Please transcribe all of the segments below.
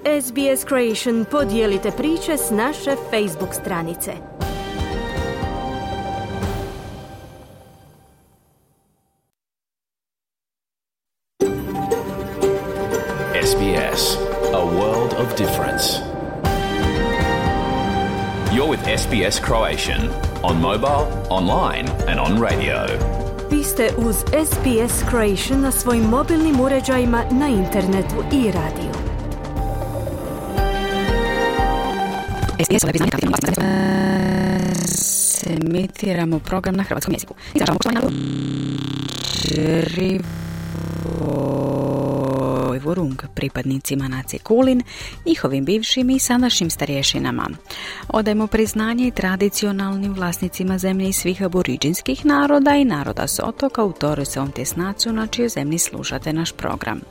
SBS Creation podijelite priče s naše Facebook stranice. SBS, a world of difference. You're with SBS Croatian on mobile, online and on radio. Vi ste uz SBS Creation na svojim mobilnim uređajima, na internetu i radiju. SBS emitiramo program na hrvatskom jeziku. Vorung, pripadnicima nacije Kulin, njihovim bivšim i sadašnjim starješinama. Odajemo priznanje i tradicionalnim vlasnicima zemlje i svih aboriđinskih naroda i naroda s otoka u Torresovom tjesnacu na čijoj zemlji slušate naš program.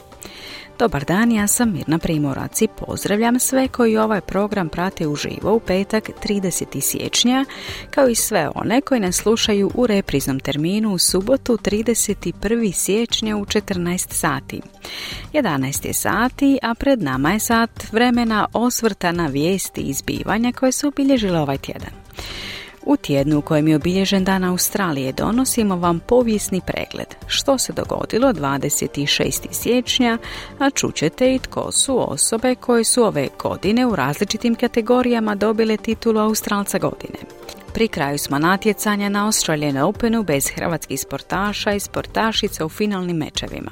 Dobar dan, ja sam Mirna Primorac i pozdravljam sve koji ovaj program prate uživo u petak 30. siječnja, kao i sve one koji nas slušaju u repriznom terminu u subotu 31. siječnja u 14 sati. 11 je sati, a pred nama je sat vremena osvrta na vijesti i zbivanja koje su obilježile ovaj tjedan. U tjednu u kojem je obilježen Dan Australije donosimo vam povijesni pregled što se dogodilo 26. siječnja, a čućete i tko su osobe koje su ove godine u različitim kategorijama dobile titulu Australca godine. Pri kraju smo natjecanja na Australian Openu bez hrvatskih sportaša i sportašica u finalnim mečevima.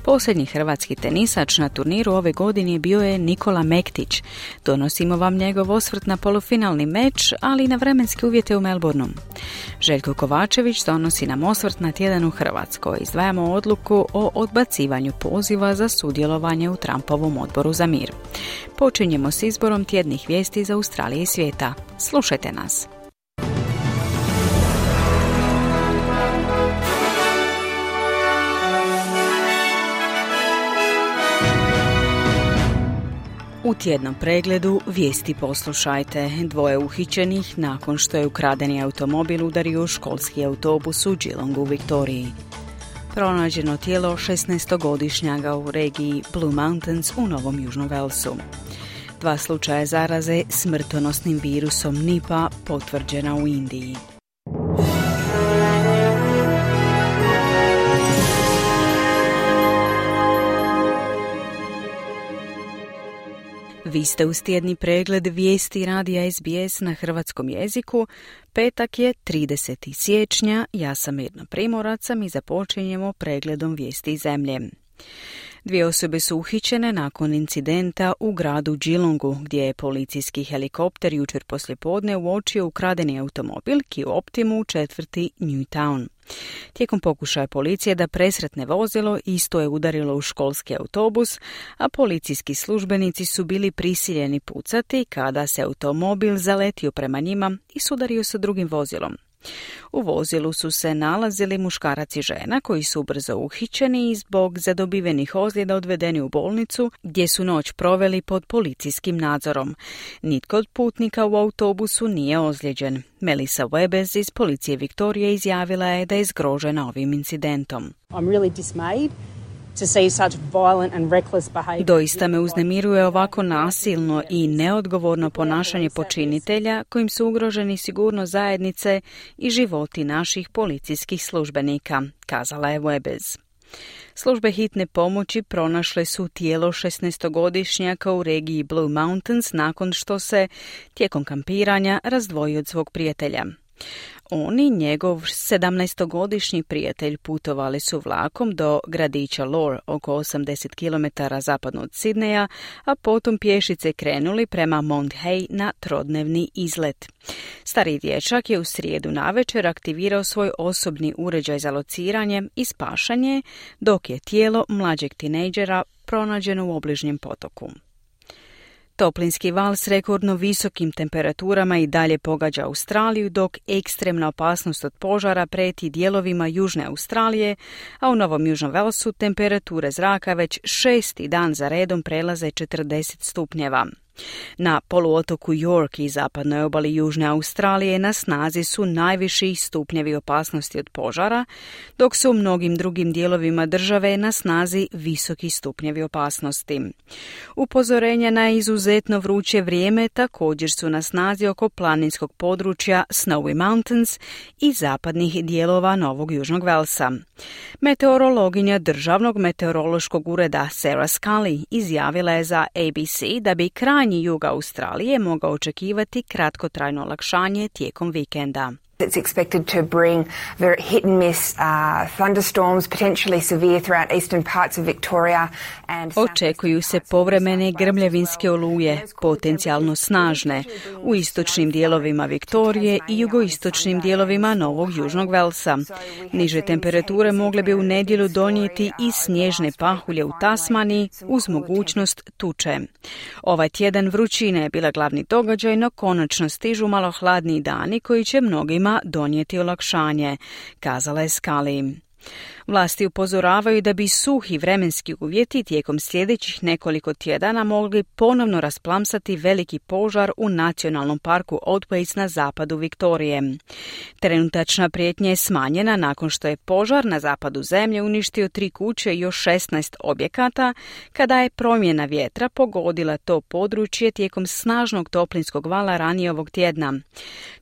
Posljednji hrvatski tenisač na turniru ove godine bio je Nikola Mektić. Donosimo vam njegov osvrt na polufinalni meč, ali i na vremenske uvjete u Melbourneu. Željko Kovačević donosi nam osvrt na tjedan u Hrvatskoj. Izdvajamo odluku o odbacivanju poziva za sudjelovanje u Trumpovom odboru za mir. Počinjemo s izborom tjednih vijesti iz Australije i svijeta. Slušajte nas. U tjednom pregledu vijesti poslušajte. 2 uhićenih nakon što je ukradeni automobil udario školski autobus u Geelongu u Viktoriji. Pronađeno tijelo 16-godišnjaga u regiji Blue Mountains u Novom Južnom Velsu. 2 slučaja zaraze smrtonosnim virusom Nipah potvrđena u Indiji. Vi ste uz tjedni pregled vijesti radija SBS na hrvatskom jeziku. Petak je 30. siječnja, ja sam Mirna Primorac i započinjemo pregledom vijesti iz zemlje. 2 osobe su uhićene nakon incidenta u gradu Geelongu, gdje je policijski helikopter jučer poslijepodne uočio ukradeni automobil Kia Optimu u četvrti Newtown. Tijekom pokušaja policije da presretne vozilo, isto je udarilo u školski autobus, a policijski službenici su bili prisiljeni pucati kada se automobil zaletio prema njima i sudario sa drugim vozilom. U vozilu su se nalazili muškarac i žena koji su brzo uhićeni i zbog zadobivenih ozljeda odvedeni u bolnicu gdje su noć proveli pod policijskim nadzorom. Nitko od putnika u autobusu nije ozlijeđen. Melissa Webes iz policije Viktorije izjavila je da je zgrožena ovim incidentom. I'm really dismayed to see such violent and reckless behavior. Doista me uznemiruje ovako nasilno i neodgovorno ponašanje počinitelja kojim su ugroženi sigurnost zajednice i životi naših policijskih službenika, kazala je Webes. Službe hitne pomoći pronašle su tijelo 16-godišnjaka u regiji Blue Mountains nakon što se tijekom kampiranja razdvojio od svog prijatelja. On i njegov 17-godišnji prijatelj putovali su vlakom do gradića Lore, oko 80 km zapadno od Sidneja, a potom pješice krenuli prema Mount Hay na trodnevni izlet. Stariji dječak je u srijedu navečer aktivirao svoj osobni uređaj za lociranje i spašanje, dok je tijelo mlađeg tinejdžera pronađeno u obližnjem potoku. Toplinski val s rekordno visokim temperaturama i dalje pogađa Australiju, dok ekstremna opasnost od požara prijeti dijelovima Južne Australije, a u Novom Južnom Velsu temperature zraka već 6. dan za redom prelaze 40 stupnjeva. Na poluotoku York i zapadnoj obali Južne Australije na snazi su najviši stupnjevi opasnosti od požara, dok su u mnogim drugim dijelovima države na snazi visoki stupnjevi opasnosti. Upozorenja na izuzetno vruće vrijeme također su na snazi oko planinskog područja Snowy Mountains i zapadnih dijelova Novog Južnog Velsa. Meteorologinja Državnog meteorološkog ureda Sarah Scully izjavila je za ABC da bi krajnji jug Australije mogao očekivati kratkotrajno olakšanje tijekom vikenda. It's expected to bring very hit and miss thunderstorms, potentially severe throughout eastern parts of Victoria and očekuju se povremene grmljavinske oluje, potencijalno snažne, u istočnim dijelovima Viktorije i jugoistočnim dijelovima Novog Južnog Velsa. Niže temperature mogle bi u nedjelju donijeti i snježne pahulje u Tasmaniji uz mogućnost tuče. Ovaj tjedan vrućine je bila glavni događaj, no konačno stižu malo hladniji dani koji će mnogima donijeti olakšanje, kazala je Scully. Vlasti upozoravaju da bi suhi vremenski uvjeti tijekom sljedećih nekoliko tjedana mogli ponovno rasplamsati veliki požar u nacionalnom parku Otways na zapadu Viktorije. Trenutačna prijetnja je smanjena nakon što je požar na zapadu zemlje uništio 3 kuće i još 16 objekata, kada je promjena vjetra pogodila to područje tijekom snažnog toplinskog vala ranije ovog tjedna.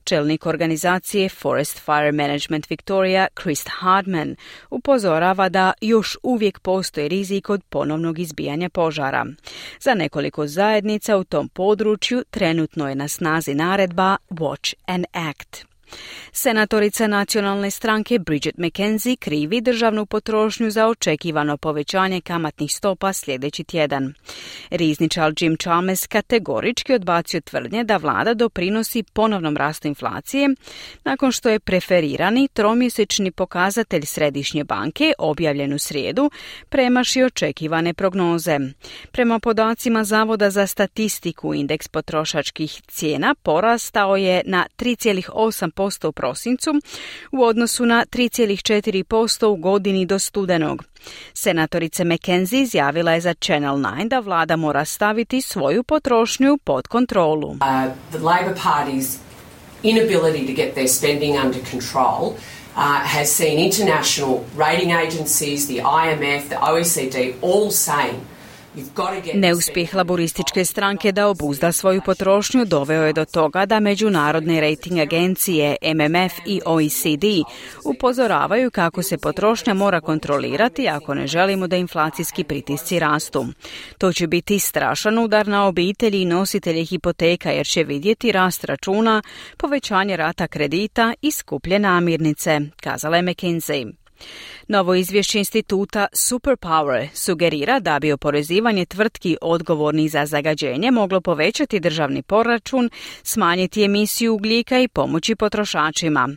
Čelnik organizacije Forest Fire Management Victoria, Chris Hardman, upozorava da još uvijek postoji rizik od ponovnog izbijanja požara. Za nekoliko zajednica u tom području trenutno je na snazi naredba Watch and Act. Senatorica nacionalne stranke Bridget McKenzie krivi državnu potrošnju za očekivano povećanje kamatnih stopa sljedeći tjedan. Rizničar Jim Chalmers kategorički odbacio tvrdnje da vlada doprinosi ponovnom rastu inflacije nakon što je preferirani tromjesečni pokazatelj Središnje banke objavljen u srijedu premašio očekivane prognoze. Prema podacima Zavoda za statistiku, indeks potrošačkih cijena porastao je na 3,8% u prosincu u odnosu na 3,4% u godini do studenog. Senatorica McKenzie izjavila je za Channel 9 da vlada mora staviti svoju potrošnju pod kontrolu. The Labor Party's inability to get their spending under control has seen international rating agencies, the IMF, the OECD all saying neuspjeh laborističke stranke da obuzda svoju potrošnju doveo je do toga da međunarodne rating agencije MMF i OECD upozoravaju kako se potrošnja mora kontrolirati ako ne želimo da inflacijski pritisci rastu. To će biti strašan udar na obitelji i nositelje hipoteka jer će vidjeti rast računa, povećanje rata kredita i skuplje namirnice, kazala je McKinsey. Novo izvješće instituta Superpower sugerira da bi oporezivanje tvrtki odgovornih za zagađenje moglo povećati državni proračun, smanjiti emisiju ugljika i pomoći potrošačima.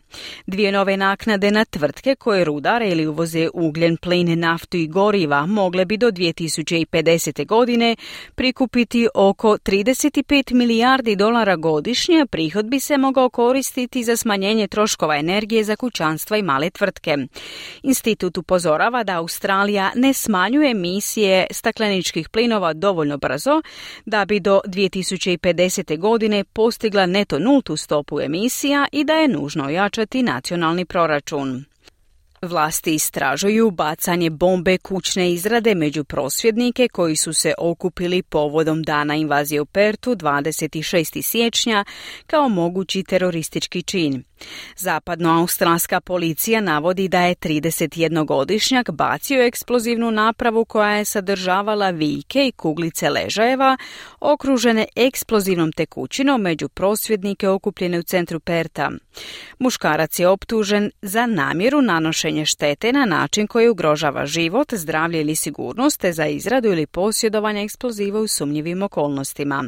2 nove naknade na tvrtke koje rudare ili uvoze ugljen, plin, naftu i goriva mogle bi do 2050. godine prikupiti oko $35 milijardi godišnje, a prihod bi se mogao koristiti za smanjenje troškova energije za kućanstva i male tvrtke. Institut upozorava da Australija ne smanjuje emisije stakleničkih plinova dovoljno brzo da bi do 2050. godine postigla neto nultu stopu emisija i da je nužno ojačati nacionalni proračun. Vlasti istražuju bacanje bombe kućne izrade među prosvjednike koji su se okupili povodom dana invazije u Perthu 26. siječnja kao mogući teroristički čin. Zapadnoaustralska policija navodi da je 31-godišnjak bacio eksplozivnu napravu koja je sadržavala vijke i kuglice ležajeva okružene eksplozivnom tekućinom među prosvjednike okupljene u centru Pertha. Muškarac je optužen za namjeru nanošenja štete na način koji ugrožava život, zdravlje ili sigurnost te za izradu ili posjedovanje eksploziva u sumnjivim okolnostima.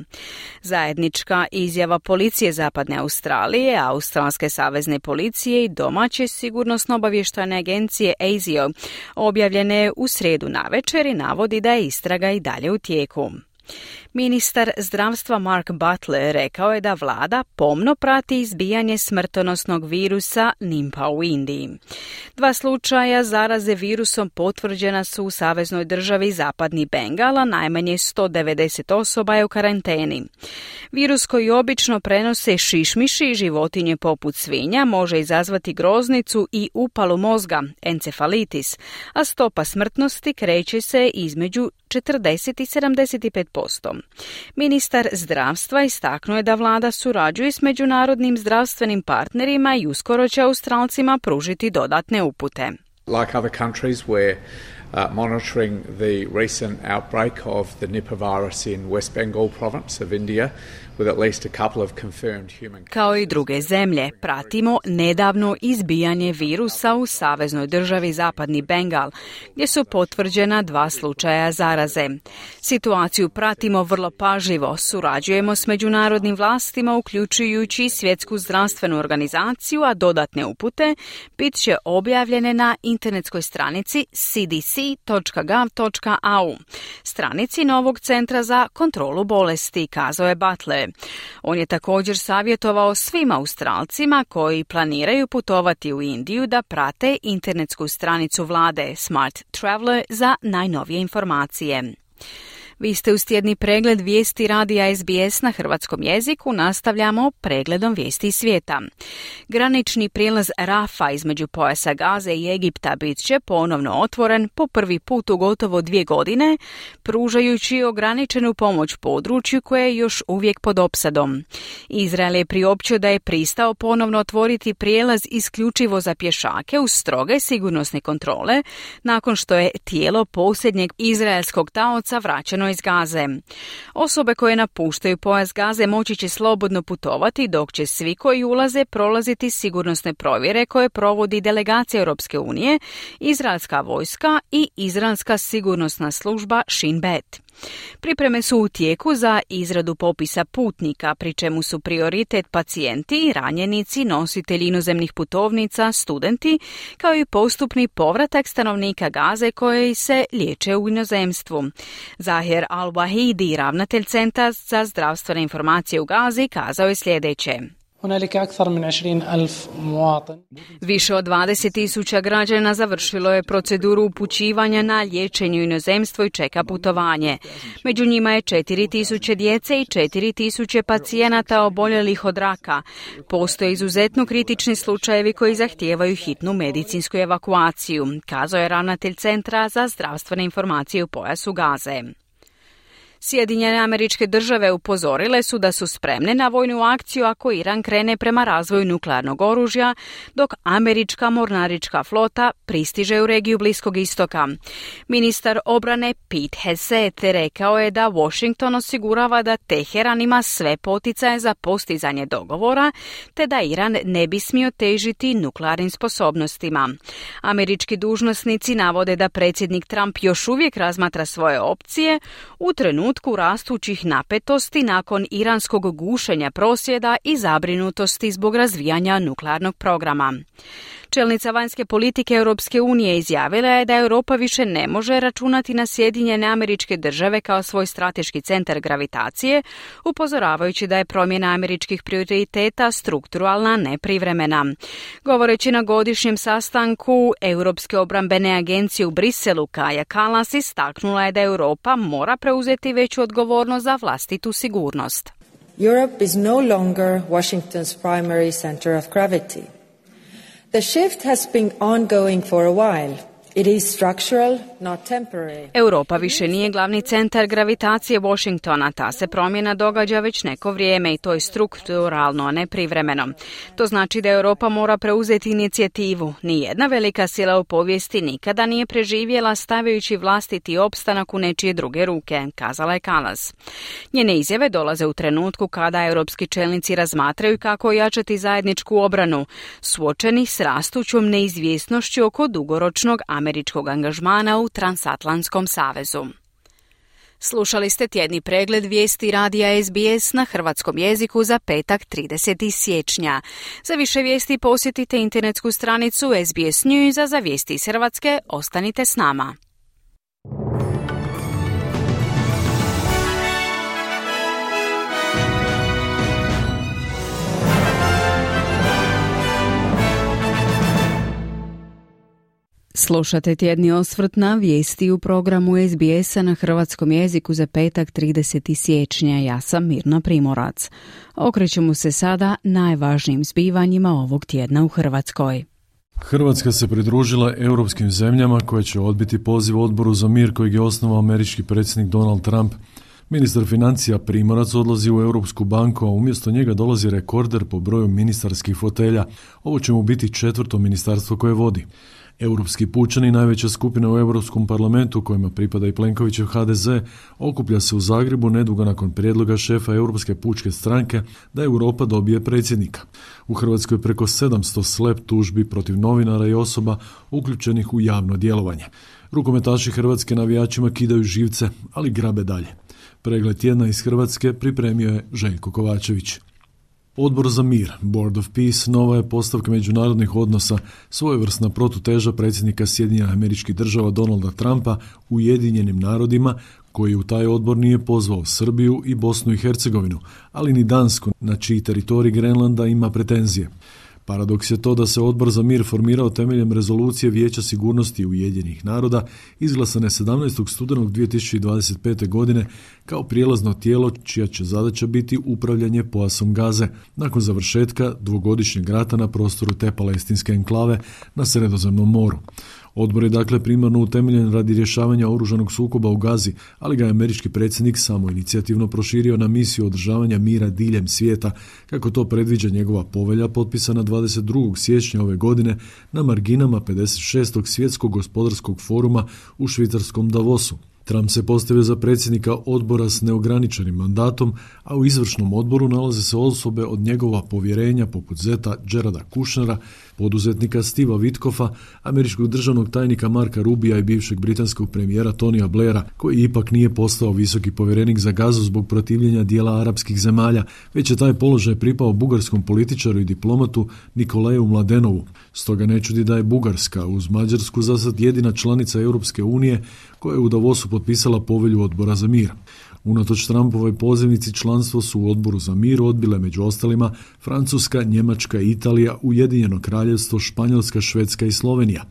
Zajednička izjava policije Zapadne Australije, Australske savezne policije i domaće sigurnosno-obavještajne agencije ASIO objavljene u srijedu navečer i navodi da je istraga i dalje u tijeku. Ministar zdravstva Mark Butler rekao je da vlada pomno prati izbijanje smrtonosnog virusa Nipah u Indiji. 2 slučaja zaraze virusom potvrđena su u saveznoj državi Zapadni Bengal, a najmanje 190 osoba je u karanteni. Virus koji obično prenose šišmiši i životinje poput svinja može izazvati groznicu i upalu mozga, encefalitis, a stopa smrtnosti kreće se između 40 i 75%. Ministar zdravstva istaknuo je da vlada surađuje s međunarodnim zdravstvenim partnerima i uskoro će Australcima pružiti dodatne upute. Like other countries, we're monitoring the recent outbreak of the Nipah virus in West Bengal province of India, with at least a couple of confirmed human. Kao i druge zemlje, pratimo nedavno izbijanje virusa u saveznoj državi Zapadni Bengal, gdje su potvrđena 2 slučaja zaraze. Situaciju pratimo vrlo pažljivo, surađujemo s međunarodnim vlastima, uključujući Svjetsku zdravstvenu organizaciju, a dodatne upute bit će objavljene na internetskoj stranici cdc.gov.au, stranici novog centra za kontrolu bolesti, kazao je Butler. On je također savjetovao svim Australcima koji planiraju putovati u Indiju da prate internetsku stranicu vlade Smart Traveller za najnovije informacije. Vi ste uz tjedni pregled vijesti radija SBS na hrvatskom jeziku. Nastavljamo pregledom vijesti svijeta. Granični prijelaz Rafa između pojasa Gaze i Egipta bit će ponovno otvoren po prvi put u gotovo 2 godine, pružajući ograničenu pomoć području koje je još uvijek pod opsadom. Izrael je priopćio da je pristao ponovno otvoriti prijelaz isključivo za pješake uz stroge sigurnosne kontrole, nakon što je tijelo posljednjeg izraelskog taoca vraćeno iz Gaze. Osobe koje napuštaju pojas Gaze moći će slobodno putovati, dok će svi koji ulaze prolaziti sigurnosne provjere koje provodi delegacija Europske unije, izraelska vojska i izraelska sigurnosna služba Shin Bet. Pripreme su u tijeku za izradu popisa putnika, pri čemu su prioritet pacijenti, ranjenici, nositelji inozemnih putovnica, studenti, kao i postupni povratak stanovnika Gaze koji se liječe u inozemstvu. Zahir Al-Wahidi, ravnatelj Centra za zdravstvene informacije u Gazi, kazao je sljedeće. Više od 20.000 građana završilo je proceduru upućivanja na liječenje u inozemstvo i čeka putovanje. Među njima je 4.000 djece i 4.000 pacijenata oboljelih od raka. Postoje izuzetno kritični slučajevi koji zahtijevaju hitnu medicinsku evakuaciju, kazao je ravnatelj Centra za zdravstvene informacije u pojasu Gaze. Sjedinjene Američke Države upozorile su da su spremne na vojnu akciju ako Iran krene prema razvoju nuklearnog oružja, dok američka mornarička flota pristiže u regiju Bliskog istoka. Ministar obrane Pete Hegseth rekao je da Washington osigurava da Teheran ima sve poticaje za postizanje dogovora, te da Iran ne bi smio težiti nuklearnim sposobnostima. Američki dužnosnici navode da predsjednik Trump još uvijek razmatra svoje opcije u trenutku rastućih napetosti nakon iranskog gušenja prosvjeda i zabrinutosti zbog razvijanja nuklearnog programa. Čelnica vanjske politike Europske unije izjavila je da Europa više ne može računati na Sjedinjene Američke Države kao svoj strateški centar gravitacije, upozoravajući da je promjena američkih prioriteta strukturalna, ne privremena. Govoreći na godišnjem sastanku Europske obrambene agencije u Briselu, Kaja Kallas istaknula je da Europa mora preuzeti veću odgovornost za vlastitu sigurnost. Europe is no longer Washington's primary center of gravity. The shift has been ongoing for a while. It is structural, not temporary. Europa više nije glavni centar gravitacije Washingtona. Ta se promjena događa već neko vrijeme i to je strukturalno, a ne privremeno. To znači da Europa mora preuzeti inicijativu. Nijedna velika sila u povijesti nikada nije preživjela stavljajući vlastiti opstanak u nečije druge ruke, kazala je Kallas. Njene izjave dolaze u trenutku kada europski čelnici razmatraju kako ojačati zajedničku obranu, suočeni s rastućom neizvjesnošću oko dugoročnog američkog angažmana u Transatlantskom savezu. Slušali ste tjedni pregled vijesti radija SBS na hrvatskom jeziku za petak 30. siječnja. Za više vijesti posjetite internetsku stranicu SBS News, a za vijesti iz Hrvatske ostanite s nama. Slušate tjedni osvrt na vijesti u programu SBS-a na hrvatskom jeziku za petak 30. siječnja. Ja sam Mirna Primorac. Okrećemo se sada najvažnijim zbivanjima ovog tjedna u Hrvatskoj. Hrvatska se pridružila europskim zemljama koje će odbiti poziv Odboru za mir kojeg je osnovao američki predsjednik Donald Trump. Ministar financija Primorac odlazi u Europsku banku, a umjesto njega dolazi rekorder po broju ministarskih fotelja. Ovo će mu biti 4. ministarstvo koje vodi. Europski pučani, najveća skupina u Europskom parlamentu kojima pripada i Plenkovićev HDZ, okuplja se u Zagrebu nedugo nakon prijedloga šefa Europske pučke stranke da Europa dobije predsjednika. U Hrvatskoj preko 700 slep tužbi protiv novinara i osoba uključenih u javno djelovanje. Rukometaši Hrvatske navijačima kidaju živce, ali grabe dalje. Pregled tjedna iz Hrvatske pripremio je Željko Kovačević. Odbor za mir, Board of Peace, nova je postavka međunarodnih odnosa, svojevrsna protuteža predsjednika Sjedinjenih Američkih Država Donalda Trumpa Ujedinjenim narodima, koji u taj odbor nije pozvao Srbiju i Bosnu i Hercegovinu, ali ni Dansku, na čiji teritorij Grenlanda ima pretenzije. Paradoks je to da se Odbor za mir formirao temeljem rezolucije Vijeća sigurnosti Ujedinjenih naroda izglasane 17. studenog 2025. godine kao prijelazno tijelo čija će zadaća biti upravljanje pojasom Gaze nakon završetka dvogodišnjeg rata na prostoru te palestinske enklave na Sredozemnom moru. Odbor je dakle primarno utemeljen radi rješavanja oružanog sukoba u Gazi, ali ga je američki predsjednik samoinicijativno proširio na misiju održavanja mira diljem svijeta, kako to predviđa njegova povelja potpisana 22. siječnja ove godine na marginama 56. svjetskog gospodarskog foruma u švicarskom Davosu. Trump se postavio za predsjednika odbora s neograničenim mandatom, a u izvršnom odboru nalaze se osobe od njegova povjerenja poput zeta Jareda Kushnera, poduzetnika Steve'a Witkoffa, američkog državnog tajnika Marka Rubija i bivšeg britanskog premijera Tonija Blaira, koji ipak nije postao visoki povjerenik za Gazu zbog protivljenja dijela arapskih zemalja, već je taj položaj pripao bugarskom političaru i diplomatu Nikolaiju Mladenovu. Stoga ne čudi da je Bugarska uz Mađarsku zasad jedina članica Europske unije koja je u Davosu potpisala povelju Odbora za mir. Unatoč Trumpovoj pozivnici članstvo su u Odboru za mir odbile među ostalima Francuska, Njemačka, Italija, Ujedinjeno Kraljevstvo, Španjolska, Švedska i Slovenija.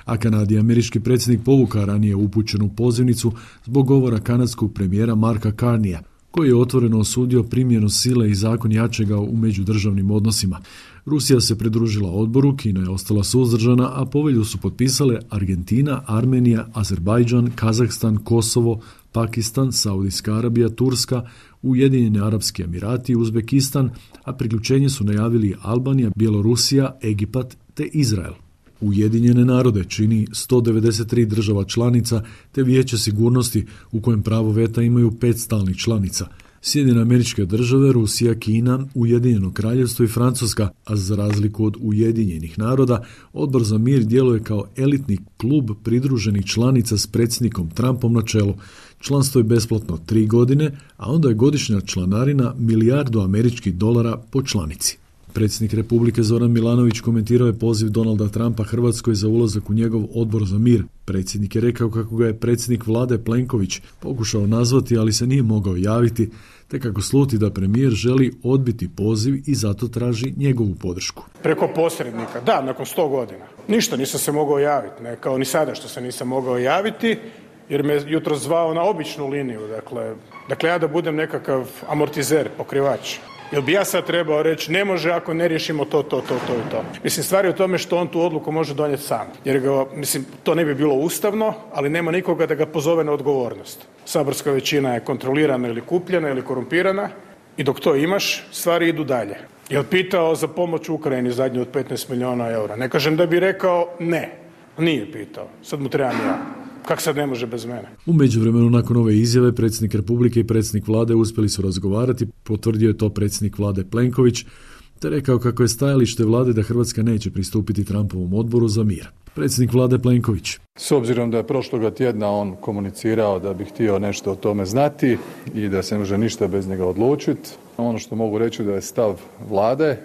A Kanadi američki predsjednik povukao ranije upućenu pozivnicu zbog govora kanadskog premijera Marka Carneya, koji je otvoreno osudio primjenu sile i zakon jačega u međudržavnim odnosima. Rusija se pridružila odboru, Kina je ostala suzdržana, a povelju su potpisale Argentina, Armenija, Azerbajdžan, Kazahstan, Kosovo, Pakistan, Saudijska Arabija, Turska, Ujedinjeni Arapski Emirati i Uzbekistan, a priključenje su najavili Albanija, Bjelorusija, Egipat te Izrael. Ujedinjene narode čini 193 država članica te Vijeće sigurnosti u kojem pravo veta imaju 5 stalnih članica. Sjedinjene Američke Države, Rusija, Kina, Ujedinjeno Kraljevstvo i Francuska, a za razliku od Ujedinjenih naroda, Odbor za mir djeluje kao elitni klub pridruženih članica s predsjednikom Trumpom na čelu. Članstvo je besplatno 3 godine, a onda je godišnja članarina $1 milijardu američkih dolara po članici. Predsjednik Republike Zoran Milanović komentirao je poziv Donalda Trumpa Hrvatskoj za ulazak u njegov Odbor za mir. Predsjednik je rekao kako ga je predsjednik vlade Plenković pokušao nazvati, ali se nije mogao javiti, te kako sluti da premijer želi odbiti poziv i zato traži njegovu podršku. Preko posrednika, da, nakon 100 godina. Ništa, nisam se mogao javiti, ne kao ni sada što se nisam mogao javiti, jer me jutro zvao na običnu liniju, dakle ja da budem nekakav amortizer, pokrivač. Jel bi ja sad trebao reći ne može ako ne riješimo to i to. Mislim, stvar je u tome što on tu odluku može donijeti sam. Jer to ne bi bilo ustavno, ali nema nikoga da ga pozove na odgovornost. Saborska većina je kontrolirana ili kupljena ili korumpirana i dok to imaš, stvari idu dalje. Jel pitao za pomoć Ukrajini zadnju od 15 milijuna eura? Ne kažem da bi rekao ne. Nije pitao. Sad mu trebam ja. Kako sad ne može bez mene? U međuvremenu nakon ove izjave predsjednik Republike i predsjednik vlade uspjeli su razgovarati, potvrdio je to predsjednik vlade Plenković, te rekao kako je stajalište vlade da Hrvatska neće pristupiti Trumpovom odboru za mir. Predsjednik vlade Plenković. S obzirom da je prošloga tjedna on komunicirao da bi htio nešto o tome znati i da se ne može ništa bez njega odlučiti, ono što mogu reći da je stav vlade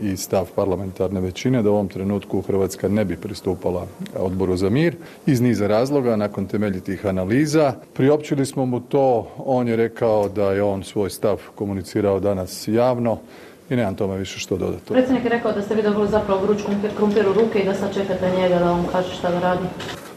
i stav parlamentarne većine da u ovom trenutku Hrvatska ne bi pristupala Odboru za mir iz niza razloga nakon temeljitih analiza. Priopćili smo mu to, on je rekao da je on svoj stav komunicirao danas javno i nemam tome više što dodati. Predsjednik je rekao da ste vi dobili zapravo vruć krumpir u ruke i da sad čekate njega da vam kaže šta da radi.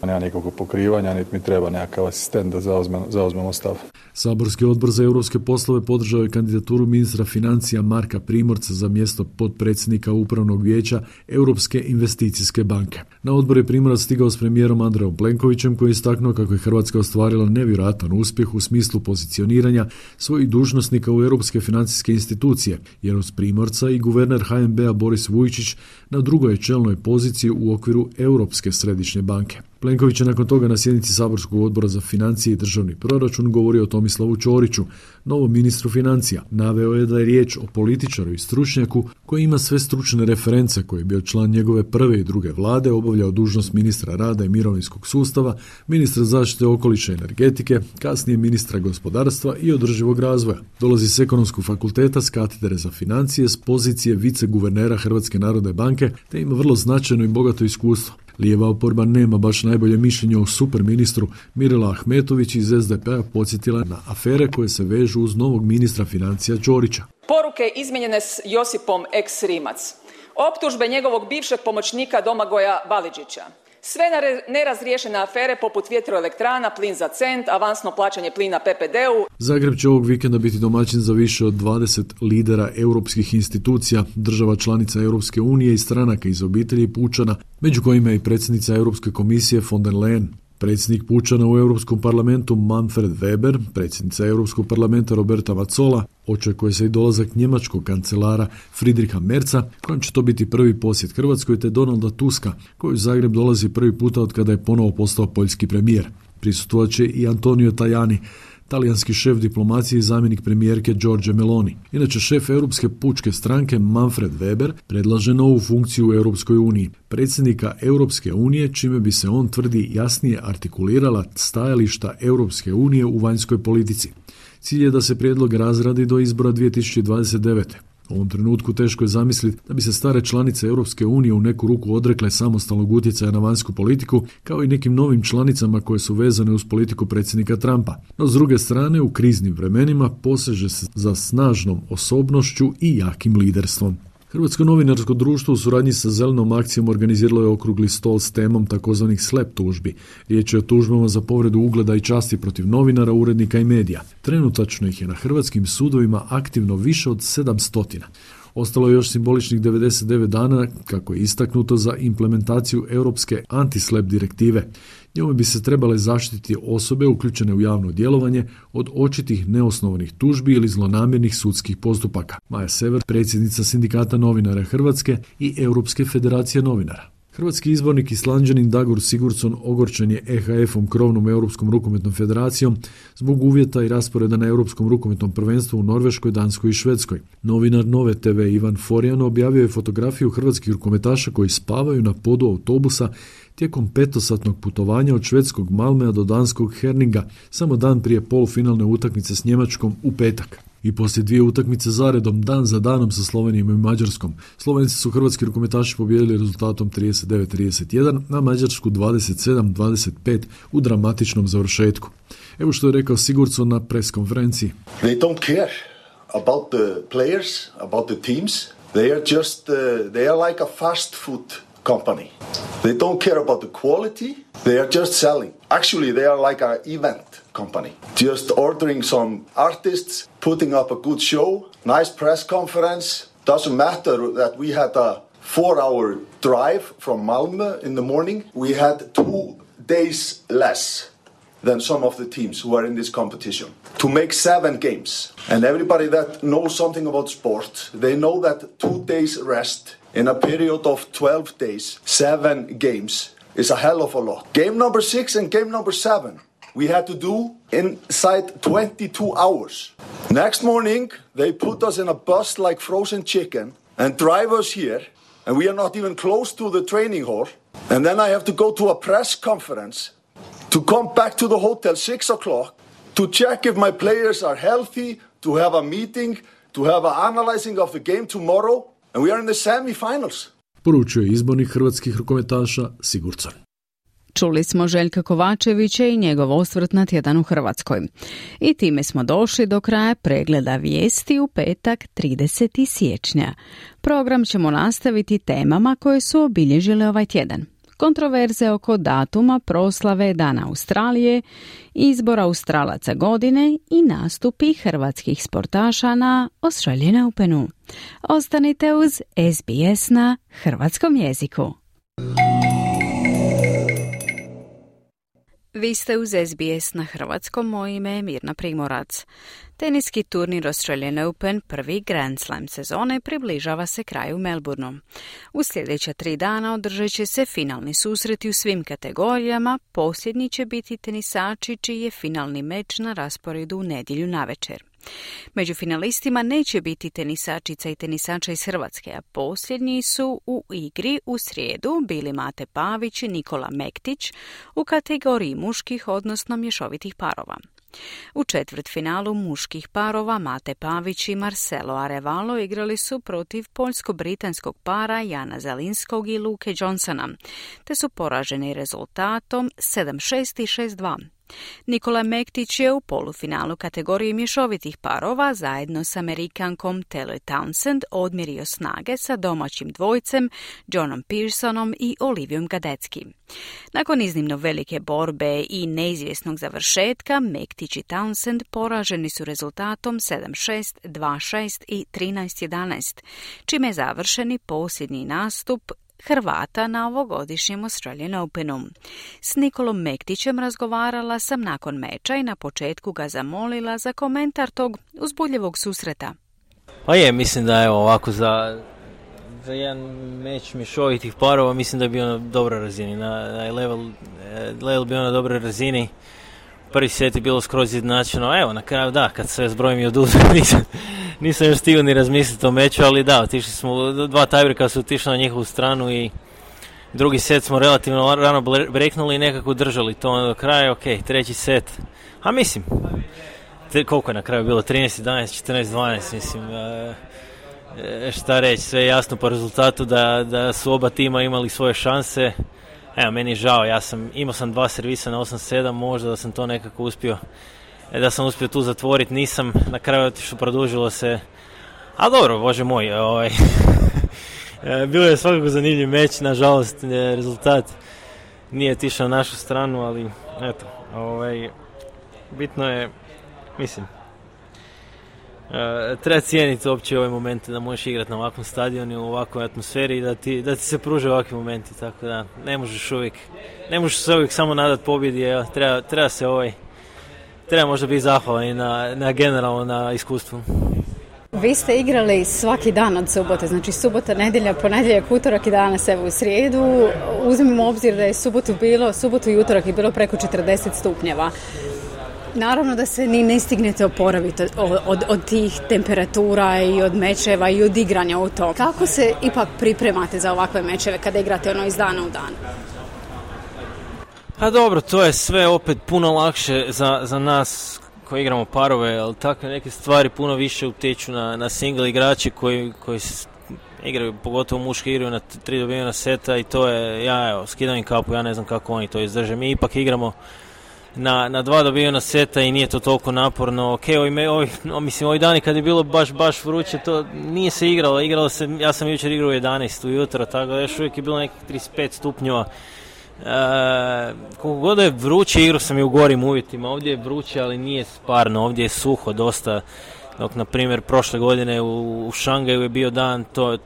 Nema nikakvog pokrivanja, niti mi treba nekakav asistent da zauzmemo stav. Saborski odbor za europske poslove podržao je kandidaturu ministra financija Marka Primorca za mjesto potpredsjednika Upravnog vijeća Europske investicijske banke. Na odbor je Primorac stigao s premijerom Andrejom Plenkovićem koji je istaknuo kako je Hrvatska ostvarila nevjerojatan uspjeh u smislu pozicioniranja svojih dužnosnika u europske financijske institucije, jer uz Primorca i guverner HNB-a Boris Vujčić na drugoj je čelnoj poziciji u okviru Europske središnje banke. Plenković je nakon toga na sjednici Saborskog odbora za financije i državni proračun govorio o Tomislavu Ćoriću, novom ministru financija. Naveo je da je riječ o političaru i stručnjaku koji ima sve stručne reference, koji je bio član njegove prve i druge vlade, obavljao dužnost ministra rada i mirovinskog sustava, ministra zaštite okoliša i energetike, kasnije ministra gospodarstva i održivog razvoja. Dolazi s Ekonomskog fakulteta s katedre za financije s pozicije viceguvernera Hrvatske narodne banke te ima vrlo značajno i bogato iskustvo. Lijeva oporba nema baš najbolje mišljenje o superministru. Mirela Ahmetović iz SDP-a podsjetila na afere koje se vežu uz novog ministra financija Ćorića. Poruke izmijenjene s Josipom ex Rimac. Optužbe njegovog bivšeg pomoćnika Domagoja Validžića. Sve nerazriješene afere poput vjetroelektrana, plin za cent, avansno plaćanje plina PPD-u. Zagreb će ovog vikenda biti domaćin za više od 20 lidera europskih institucija, država članica Europske unije i stranaka iz obitelji Pučana, među kojima je i predsjednica Europske komisije von der Leyen. Predsjednik Pučana u Europskom parlamentu Manfred Weber, predsjednica Europskog parlamenta Roberta Mazzola, očekuje se i dolazak njemačkog kancelara Friedricha Merza, kojem će to biti prvi posjet Hrvatskoj, te Donalda Tuska, koji u Zagreb dolazi prvi puta od kada je ponovo postao poljski premijer. Prisustvovat će i Antonio Tajani, talijanski šef diplomacije i zamjenik premijerke Giorgia Meloni. Inače, šef Europske pučke stranke Manfred Weber predlaže novu funkciju u Europskoj uniji, predsjednika Europske unije, čime bi se on tvrdi jasnije artikulirala stajališta Europske unije u vanjskoj politici. Cilj je da se prijedlog razradi do izbora 2029. U ovom trenutku teško je zamisliti da bi se stare članice Europske unije u neku ruku odrekle samostalnog utjecaja na vanjsku politiku, kao i nekim novim članicama koje su vezane uz politiku predsjednika Trumpa. No, s druge strane, u kriznim vremenima poseže se za snažnom osobnošću i jakim liderstvom. Hrvatsko novinarsko društvo u suradnji sa Zelenom akcijom organiziralo je okrugli stol s temom takozvanih SLAPP tužbi. Riječ je o tužbama za povredu ugleda i časti protiv novinara, urednika i medija. Trenutačno ih je na hrvatskim sudovima aktivno više od 700. Ostalo je još simboličnih 99 dana, kako je istaknuto, za implementaciju europske anti-SLAPP direktive. Njome bi se trebale zaštititi osobe uključene u javno djelovanje od očitih neosnovanih tužbi ili zlonamjernih sudskih postupaka. Maja Sever, predsjednica Sindikata novinara Hrvatske i Europske federacije novinara. Hrvatski izbornik Islanđanin Dagur Sigurdsson ogorčen je EHF-om, krovnom Europskom rukometnom federacijom, zbog uvjeta i rasporeda na Europskom rukometnom prvenstvu u Norveškoj, Danskoj i Švedskoj. Novinar Nove TV Ivan Forjan objavio je fotografiju hrvatskih rukometaša koji spavaju na podu autobusa tijekom 5-satnog putovanja od švedskog Malmea do danskog Herninga, samo dan prije polufinalne utakmice s Njemačkom u petak. I poslije 2 utakmice zaredom, dan za danom sa Slovenijom i Mađarskom, Slovenci su hrvatski rukometaši pobijedili rezultatom 39-31, na Mađarsku 27-25 u dramatičnom završetku. Evo što je rekao Sigurdsson na pres konferenciji. They don't care about the players, about the teams. They are just, they are like a fast food company. They don't care about the quality. They are just selling. Actually, they are like an event company. Just ordering some artists, putting up a good show, nice press conference. Doesn't matter that we had a 4-hour drive from Malmö in the morning. We had 2 days less than some of the teams who are in this competition to make 7 games. And everybody that knows something about sport, they know that 2 days rest in a period of 12 days, 7 games is a hell of a lot. Game number 6 and game number 7 we had to do inside 22 hours. Next morning, they put us in a bus like frozen chicken and drive us here, and we are not even close to the training hall. And then I have to go to a press conference to come back to the hotel 6 o'clock to check if my players are healthy, to have a meeting, to have an analyzing of the game tomorrow, and we are in the semi-finals. Poručio je izbornik hrvatskih rukometaša Sigurdsson. Čuli smo Željka Kovačevića i njegov osvrt na tjedan u Hrvatskoj. I time smo došli do kraja pregleda vijesti u petak 30. siječnja. Program ćemo nastaviti temama koje su obilježile ovaj tjedan. Kontroverze oko datuma proslave Dana Australije, izbor Australaca godine i nastupi hrvatskih sportaša na Australian Openu. Ostanite uz SBS na hrvatskom jeziku. Vi ste uz SBS na hrvatskom, moje ime je Mirna Primorac. Teniski turnir Australian Open, prvi Grand Slam sezone, približava se kraju Melbourneu. U sljedeća 3 dana održat će se finalni susreti u svim kategorijama, posljednji će biti tenisači čiji je finalni meč na rasporedu u nedjelju navečer. Među finalistima neće biti tenisačica i tenisača iz Hrvatske, a posljednji su u igri u srijedu bili Mate Pavić i Nikola Mektić u kategoriji muških, odnosno mješovitih parova. U četvrtfinalu muških parova Mate Pavić i Marcelo Arevalo igrali su protiv poljsko-britanskog para Jana Zelinskog i Luke Johnsona, te su poraženi rezultatom 7-6 i 6-2. Nikola Mektić je u polufinalu kategorije mješovitih parova zajedno s Amerikankom Taylor Townsend odmjerio snage sa domaćim dvojcem Johnom Pearsonom i Olivijom Gadecki. Nakon iznimno velike borbe i neizvjesnog završetka, Mektić i Townsend poraženi su rezultatom 7-6, 2-6 i 13-11, čime je završeni posljednji nastup Hrvata na ovogodišnjem Australian Openu. S Nikolom Mektićem razgovarala sam nakon meča i na početku ga zamolila za komentar tog uzbudljivog susreta. Pa je, mislim da je ovako za jedan meč mješovitih parova mislim da je bio na dobroj razini. Na level bio na dobroj razini. Prvi set je bilo skroz izjednačeno. Evo, na kraju da, kad sve zbrojim i oduzem, nisam još stigao ni razmisliti o meču, ali da, otišli smo, 2 tajbreka su otišli na njihovu stranu i drugi set smo relativno rano breknuli i nekako držali to do kraja. Ok, treći set, a mislim, koliko je na kraju bilo, 13-11, 14-12, mislim, šta reći, sve je jasno po rezultatu da su oba tima imali svoje šanse. Evo, meni je žao, imao sam 2 servisa na 8-7, možda da sam to nekako uspio, da sam uspio tu zatvoriti, nisam, na kraju otišlo, produžilo se, a dobro, bože moj, bilo je svakako zanimljiv meč, nažalost, rezultat nije otišao na našu stranu, ali eto, bitno je, mislim, treba cijeniti uopće ove momente da možeš igrati na ovakvom stadionu, u ovakvoj atmosferi i da ti se pruže ovakvi momenti, tako da ne možeš se uvijek samo nadati pobjedi, treba možda biti zahvalan i na generalno na iskustvu. Vi ste igrali svaki dan od subote, znači subota, nedjelja, ponedjeljak, utorak i danas evo u srijedu. Uzmimo obzir da je subotu i utorak je bilo preko 40 stupnjeva. Naravno da se ni ne stignete oporaviti od tih temperatura i od mečeva i od igranja u to. Kako se ipak pripremate za ovakve mečeve kada igrate iz dana u dan? Pa dobro, to je sve opet puno lakše za nas koji igramo parove, ali takve neke stvari puno više utječu na single igrači koji igraju, pogotovo muški igraju na 3 dobivena seta i to je, skidam im kapu, ja ne znam kako oni to izdrže. Mi ipak igramo na 2 dobivena seta i nije to toliko naporno. Ok, ovi dani kad je bilo baš vruće, to nije se igralo se, ja sam jučer igrao u 11 ujutro, tako da još uvijek je bilo nekih 35 stupnjeva. Koliko god je vruće, igrao sam i u gorim uvjetima. Ovdje je vruće, ali nije sparno, ovdje je suho dosta. Dok, na primjer, prošle godine u Šangaju je bio dan, to je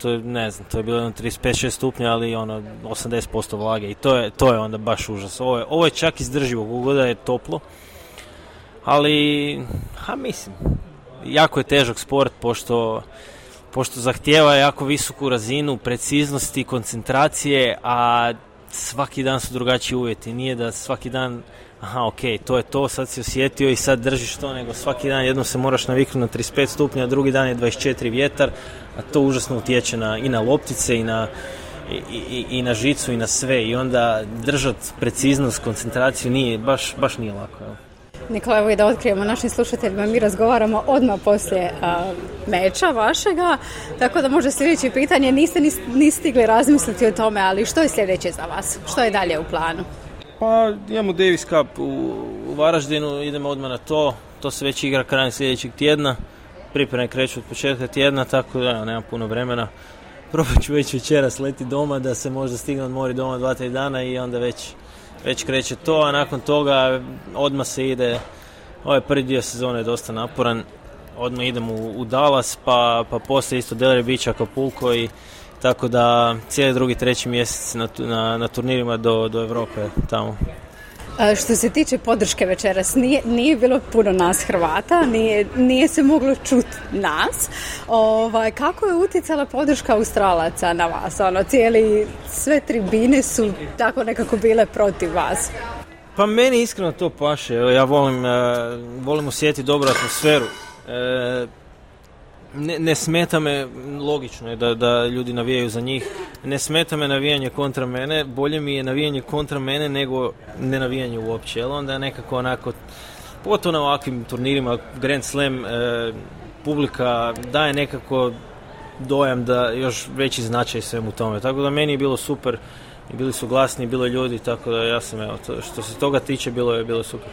bilo 35-6 stupnja, ali 80% vlage i to je onda baš užas. Ovo je čak izdrživo, koliko god je toplo, ali, mislim, jako je težak sport, pošto zahtijeva jako visoku razinu preciznosti, koncentracije, a svaki dan su drugačiji uvjeti. Nije da svaki dan, to je to, sad si osjetio i sad držiš to, nego svaki dan jednom se moraš naviknuti na 35 stupnja, a drugi dan je 24 vjetar, a to užasno utječe i na loptice i na žicu i na sve, i onda držati preciznost, koncentraciju baš nije lako. Nikola, evo i da otkrijemo našim slušateljima, mi razgovaramo odmah poslije meča vašega, tako da može sljedeće pitanje, niste ni stigli razmisliti o tome, ali što je sljedeće za vas? Što je dalje u planu? Pa imamo Davis Cup u Varaždinu, idemo odmah na to. To se već igra krajem sljedećeg tjedna. Pripreme kreću od početka tjedna, tako da nemam puno vremena. Probat ću već večeras leti doma, da se možda stigne odmori doma 2-3 dana i onda već kreće to, a nakon toga odmah se ide. Ovaj prvi dio sezone je dosta naporan. Odmah idem u Dallas, pa poslije isto Delray Beach, Acapulco i tako da cijeli drugi, treći mjesec na turnirima do Europe tamo. Što se tiče podrške večeras, nije bilo puno nas Hrvata, nije se moglo čuti nas. Kako je utjecala podrška Australaca na vas? Sve tribine su tako nekako bile protiv vas. Pa meni iskreno to paše. Ja volim osjetiti dobru atmosferu. Ne smeta me, logično je da ljudi navijaju za njih, ne smeta me navijanje kontra mene, bolje mi je navijanje kontra mene nego ne navijanje uopće, jer onda je nekako onako, pogotovo na ovakvim turnirima, Grand Slam, publika daje nekako dojam da još veći značaj svemu tome, tako da meni je bilo super, bili su glasni, bilo je ljudi, tako da ja sam, što se toga tiče, bilo je super.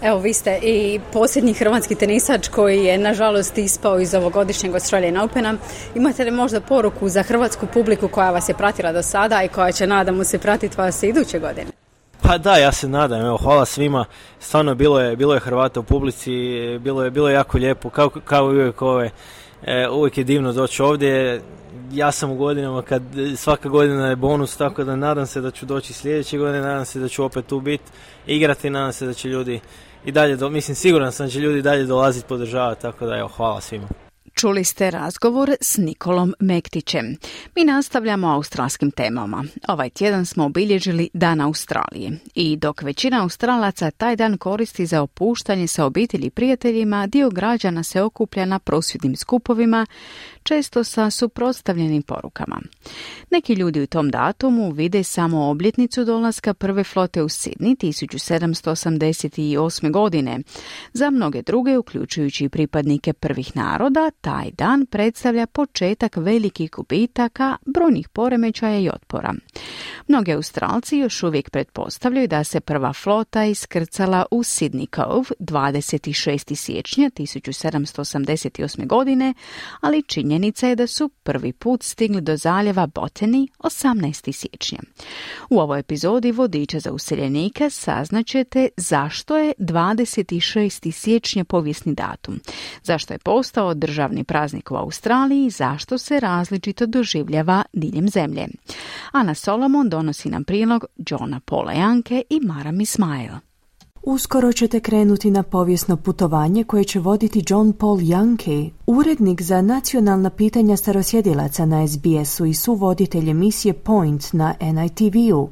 Evo, vi ste i posljednji hrvatski tenisač koji je nažalost ispao iz ovogodišnjeg Australian Opena. Imate li možda poruku za hrvatsku publiku koja vas je pratila do sada i koja će, nadamo se, pratiti vas iduće godine? Pa da, ja se nadam. Evo, hvala svima. Stvarno bilo je Hrvata u publici, bilo je jako lijepo, kao uvijek uvijek je divno doći ovdje. Ja sam u godinama kad svaka godina je bonus, tako da nadam se da ću doći sljedeće godine, nadam se da ću opet tu biti, igrati, nadam se da će ljudi i dalje, siguran sam da će ljudi dalje dolaziti podržavati, tako da hvala svima. Čuli ste razgovor s Nikolom Mektićem. Mi nastavljamo australskim temama. Ovaj tjedan smo obilježili Dan Australije i dok većina Australaca taj dan koristi za opuštanje sa obitelji i prijateljima, dio građana se okuplja na prosvjednim skupovima, često sa suprotstavljenim porukama. Neki ljudi u tom datumu vide samo obljetnicu dolaska prve flote u Sidney 1788. godine. Za mnoge druge, uključujući i pripadnike prvih naroda, taj dan predstavlja početak velikih gubitaka, brojnih poremećaja i otpora. Mnogi Australci još uvijek pretpostavljaju da se prva flota iskrcala u Sydney Cove 26. siječnja 1788. godine, ali činjenica je da su prvi put stigli do zaljeva Botany 18. siječnja. U ovoj epizodi Vodiča za useljenike saznaćete zašto je 26. siječnja povijesni datum, zašto je postao državni praznik u Australiji i zašto se različito doživljava diljem zemlje. Ana Solomon donosi nam prilog Johna Paula Janke i Maram Ismail. Uskoro ćete krenuti na povijesno putovanje koje će voditi John Paul Janke, urednik za nacionalna pitanja starosjedilaca na SBS-u i suvoditelj emisije Point na NITV-u.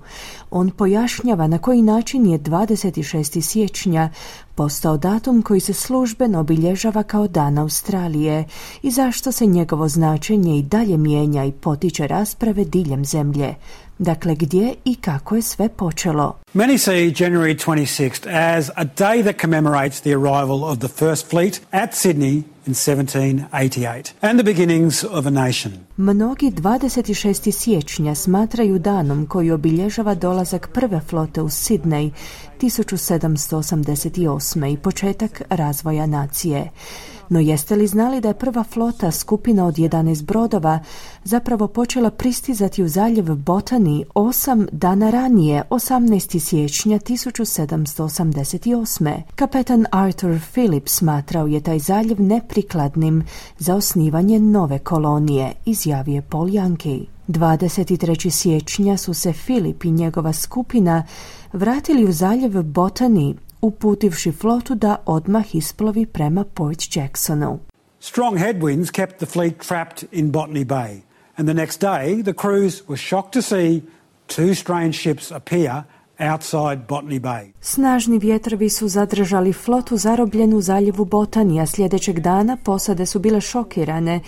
On pojašnjava na koji način je 26. siječnja postao datum koji se službeno obilježava kao Dan Australije i zašto se njegovo značenje i dalje mijenja i potiče rasprave diljem zemlje. Dakle, gdje i kako je sve počelo? Many see January 26th as a day that commemorates the arrival of the First Fleet at Sydney in 1788 and the beginnings of a nation. Mnogi 26. siječnja smatraju danom koji obilježava dolazak prve flote u Sydney 1788. i početak razvoja nacije. No jeste li znali da je prva flota, skupina od 11 brodova, zapravo počela pristizati u zaljev Botany 8 dana ranije, 18. siječnja 1788. Kapetan Arthur Phillips smatrao je taj zaljev neprikladnim za osnivanje nove kolonije, izjavio Paul Janke. 23. siječnja su se Philip i njegova skupina vratili u zaljev Botany, uputivši flotu da odmah isplovi prema Port Jacksonu. Strong headwinds kept the fleet trapped in Botany Bay, and the next day the crews were shocked to see two strange ships appear outside Botany Bay. Snažni vjetrovi su zadržali flotu zarobljenu u zaljevu Botany, a sljedećeg dana posade su bile šokirane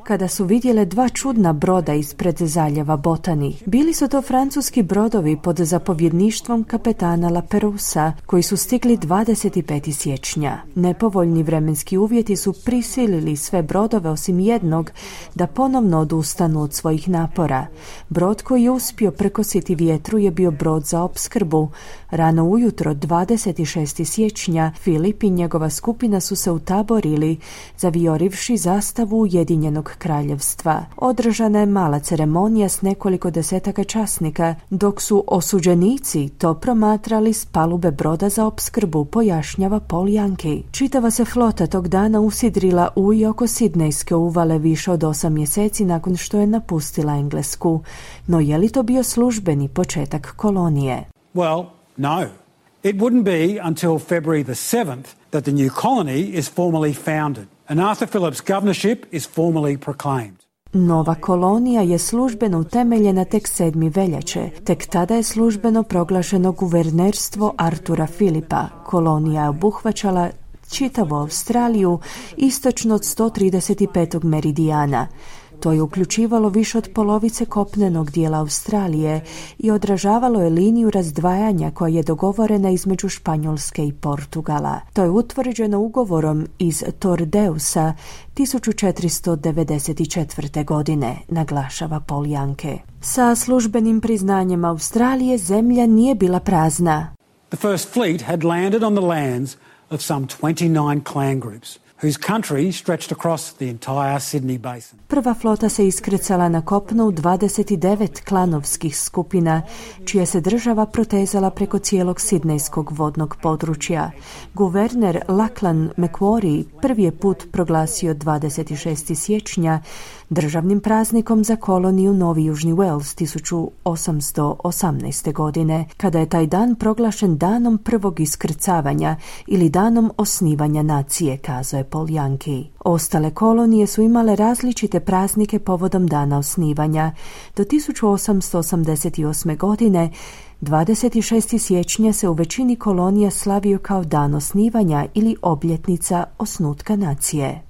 kada su vidjele dva čudna broda ispred zaljeva Botany. Bili su to francuski brodovi pod zapovjedništvom kapetana Laperousa, koji su stigli 25. siječnja. Nepovoljni vremenski uvjeti su prisilili sve brodove osim jednog da ponovno odustanu od svojih napora. Brod koji je uspio prekositi vjetru je bio brod za opskrbu opskrbu. Rano ujutro 26. siječnja Filip i njegova skupina su se utaborili, zavijorivši zastavu Ujedinjenog kraljevstva. Održana je mala ceremonija s nekoliko desetaka časnika, dok su osuđenici to promatrali s palube broda za opskrbu, pojašnjava Paul Yankee. Čitava se flota tog dana usidrila u i oko Sidnejske uvale više od 8 mjeseci nakon što je napustila Englesku. No je li to bio službeni početak kolonije? Well, no. It wouldn't be until February the 7th that the new colony is formally founded and Arthur Phillip's governorship is formally proclaimed. Nova kolonija je službeno utemeljena tek 7. veljače. Tek tada je službeno proglašeno guvernerstvo Artura Philipa. Kolonija je obuhvaćala čitavu Australiju istočno od 135. meridijana. To je uključivalo više od polovice kopnenog dijela Australije i odražavalo je liniju razdvajanja koja je dogovorena između Španjolske i Portugala. To je utvrđeno ugovorom iz Tordeusa 1494. godine, naglašava Paul Yankee. Sa službenim priznanjem Australije zemlja nije bila prazna. The first fleet had landed on the lands of some 29 clan groups, whose country stretched across the entire Sydney basin. Prva flota se iskrcala na kopno u 29 klanovskih skupina, čija se država protezala preko cijelog sidnejskog vodnog područja. Guverner Lachlan Macquarie prvi je put proglasio 26. siječnja državnim praznikom za koloniju Novi Južni Wales 1818. godine, kada je taj dan proglašen danom prvog iskrcavanja ili danom osnivanja nacije, kazao je Paul Yankee. Ostale kolonije su imale različite praznike povodom dana osnivanja. Do 1888. godine 26. siječnja se u većini kolonija slavio kao dan osnivanja ili obljetnica osnutka nacije.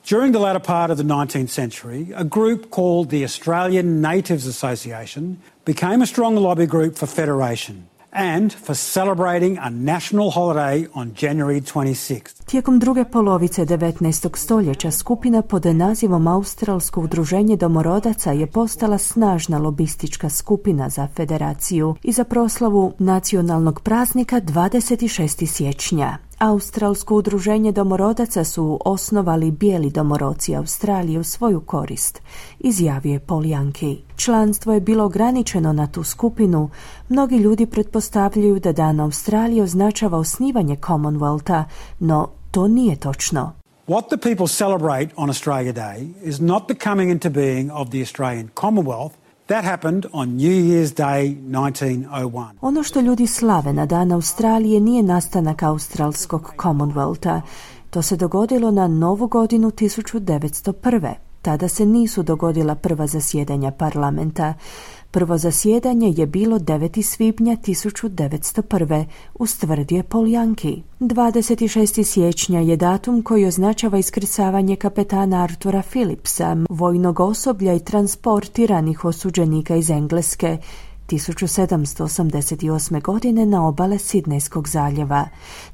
During the latter part of the 19th century, a group called the Australian Natives Association became a strong lobby group for federation and for celebrating a national holiday on January 26th. Tijekom druge polovice 19. stoljeća skupina pod nazivom Australsko udruženje domorodaca je postala snažna lobistička skupina za federaciju i za proslavu nacionalnog praznika 26. siječnja. Australsko udruženje domorodaca su osnovali bijeli domoroci Australije u svoju korist, izjavio je Paul Yankee. Članstvo je bilo ograničeno na tu skupinu. Mnogi ljudi pretpostavljaju da Dan Australije označava osnivanje Commonwealtha, no to nije točno. What the people celebrate on Australia Day is not the coming into being of the Australian Commonwealth. That happened on New Year's Day 1901. Ono što ljudi slave na Dan Australije nije nastanak australskog Commonwealtha. To se dogodilo na Novu godinu 1901. Tada se nisu dogodila prva zasjedanja parlamenta. Prvo zasjedanje je bilo 9. svibnja 1901. ustvrdio je Paul Yankee. 26. siječnja je datum koji označava iskrcavanje kapetana Artura Phillipsa, vojnog osoblja i transportiranih osuđenika iz Engleske 1788. godine na obale Sidnejskog zaljeva.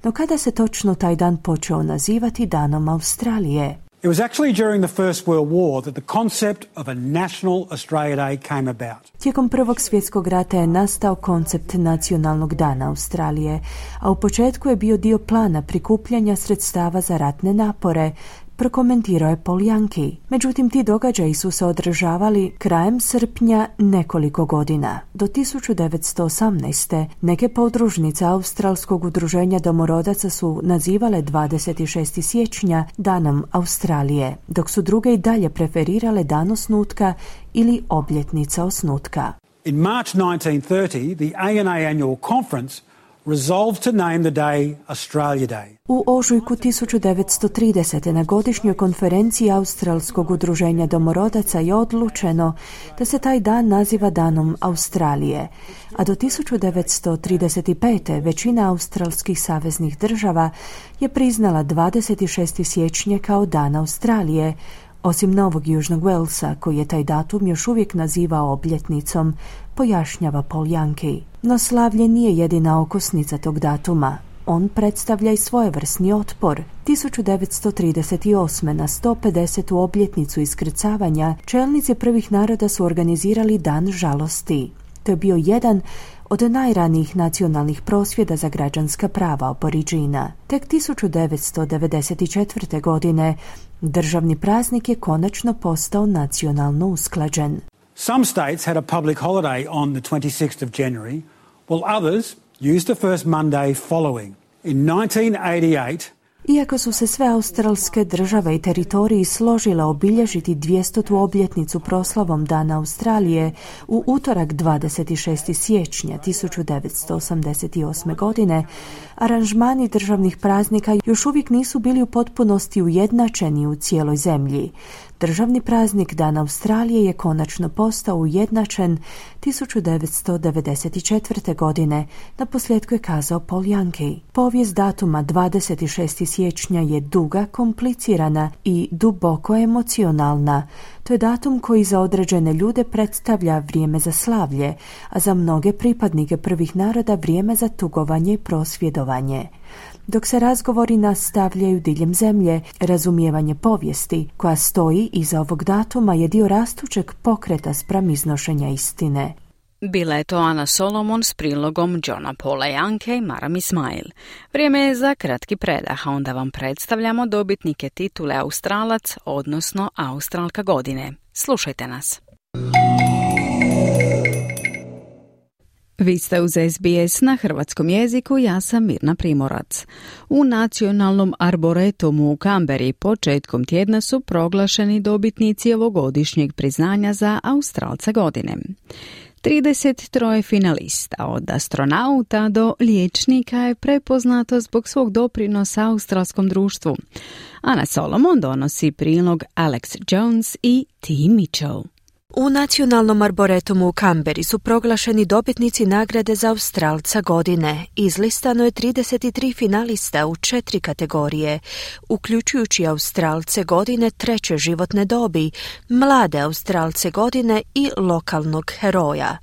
No kada se točno taj dan počeo nazivati Danom Australije? It was actually during the First World War that the concept of a National Australia Day came about. Tijekom Prvog svjetskog rata je nastao koncept nacionalnog dana Australije, a u početku je bio dio plana prikupljanja sredstava za ratne napore, prokomentirao je Paul Yankee. Međutim, ti događaji su se održavali krajem srpnja nekoliko godina. Do 1918. neke podružnice Australskog udruženja domorodaca su nazivale 26. siječnja Danom Australije, dok su druge i dalje preferirale dan osnutka ili obljetnica osnutka. In March 1930, the ANA Annual Conference resolved to name the day Australia Day. U ožujku 1930. na godišnjoj konferenciji Australskog udruženja domorodaca je odlučeno da se taj dan naziva Danom Australije, a do 1935. većina australskih saveznih država je priznala 26. siječnja kao Dan Australije, osim Novog Južnog Walesa, koji je taj datum još uvijek nazivao obljetnicom, pojašnjava Paul Yankee. No slavlje nije jedina okosnica tog datuma. On predstavlja i svojevrsni otpor. 1938. na 150. obljetnicu iskrcavanja čelnici prvih naroda su organizirali Dan žalosti. To je bio jedan od najranijih nacionalnih prosvjeda za građanska prava Aboriđina. Tek 1994. godine državni praznik je konačno postao nacionalno usklađen. Some states had a public holiday on the 26th of January, while others used the first Monday following. In 1988, iako su se sve australske države i teritoriji složile obilježiti 200. obljetnicu proslavom Dana Australije u utorak 26. siječnja 1988. godine, aranžmani državnih praznika još uvijek nisu bili u potpunosti ujednačeni u cijeloj zemlji. Državni praznik Dan Australije je konačno postao ujednačen 1994. godine, naposljetku je kazao Paul Yankee. Povijest datuma 26. siječnja je duga, komplicirana i duboko emocionalna. To je datum koji za određene ljude predstavlja vrijeme za slavlje, a za mnoge pripadnike prvih naroda vrijeme za tugovanje i prosvjedovanje. Dok se razgovori nastavljaju diljem zemlje, razumijevanje povijesti koja stoji iza ovog datuma je dio rastućeg pokreta spram iznošenja istine. Bila je to Ana Solomon s prilogom Johna Paula Yankee i Maram Ismail. Vrijeme je za kratki predah, a onda vam predstavljamo dobitnike titule Australac, odnosno Australka godine. Slušajte nas. Vi ste uz SBS na hrvatskom jeziku, ja sam Mirna Primorac. U Nacionalnom arboretumu u Kamberi početkom tjedna su proglašeni dobitnici ovogodišnjeg priznanja za Australca godine. 33 finalista, od astronauta do liječnika, je prepoznato zbog svog doprinosa australskom društvu. Ana Solomon donosi prilog Alex Jones i T. Mitchell. U Nacionalnom arboretumu u Kamberi su proglašeni dobitnici nagrade za Australca godine. Izlistano je 33 finalista u 4 kategorije, uključujući Australce godine treće životne dobi, mlade Australce godine i lokalnog heroja.